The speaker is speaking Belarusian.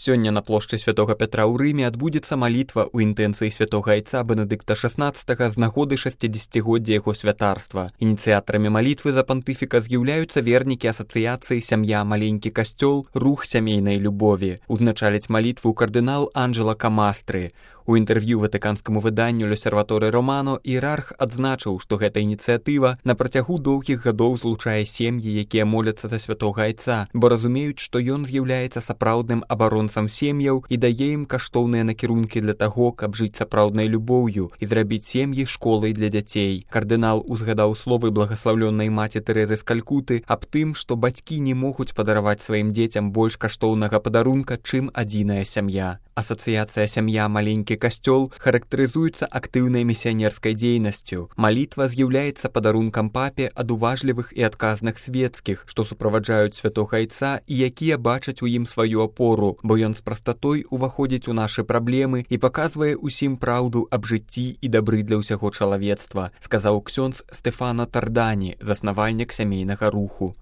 Сёння на плошчы Святога Пятра ў Рыме адбудзецца малітва ў інтэнцыі святога айца Бенедыкта XVI з нагоды 60-годдзя яго святарства. Ініцыятарамі малітвы за пантыфіка з'яўляюцца вернікі асацыяцыі «Сям'я, маленькі касцёл», рух сямейнай любові. Узначаліць малітву кардынал Анджела Камастры. У інтэрв'ю ватыканскаму выданню «L'Osservatore Romano» іерарх адзначыў, што гэта ініцыятыва на працягу доўгіх гадоў злучае сем'і, якія моляцца за святога айца, бо разумеюць, што ён з'яўляецца сапраўдным абаронцам сем'яў і дае ім каштоўныя накірункі для таго, каб жыць сапраўднай любоўю і зрабіць сем'і школай для дзяцей. Кардынал узгадаў словы благаслаўлённай маці Тэрэзы з Калькуты аб тым, што бацькі не могуць падараваць сваім дзецям больш каштоўнага падарунка, чым адзіная сям'я. Асацыяцыя «Сям'я, маленькі касцёл» характарызуецца актыўнай місіянерскай дзейнасцю. Малітва з'яўляецца падарункам папе ад уважлівых і адказных свецкіх, што суправаджаюць святога айца і якія бачаць у ім сваю апору, бо ён з прастатой уваходзіць у нашы праблемы і паказвае ўсім праўду аб жыцці і дабры для ўсяго чалавецтва, сказаў ксёндз Стэфано Тардані, заснавальнік сямейнага руху.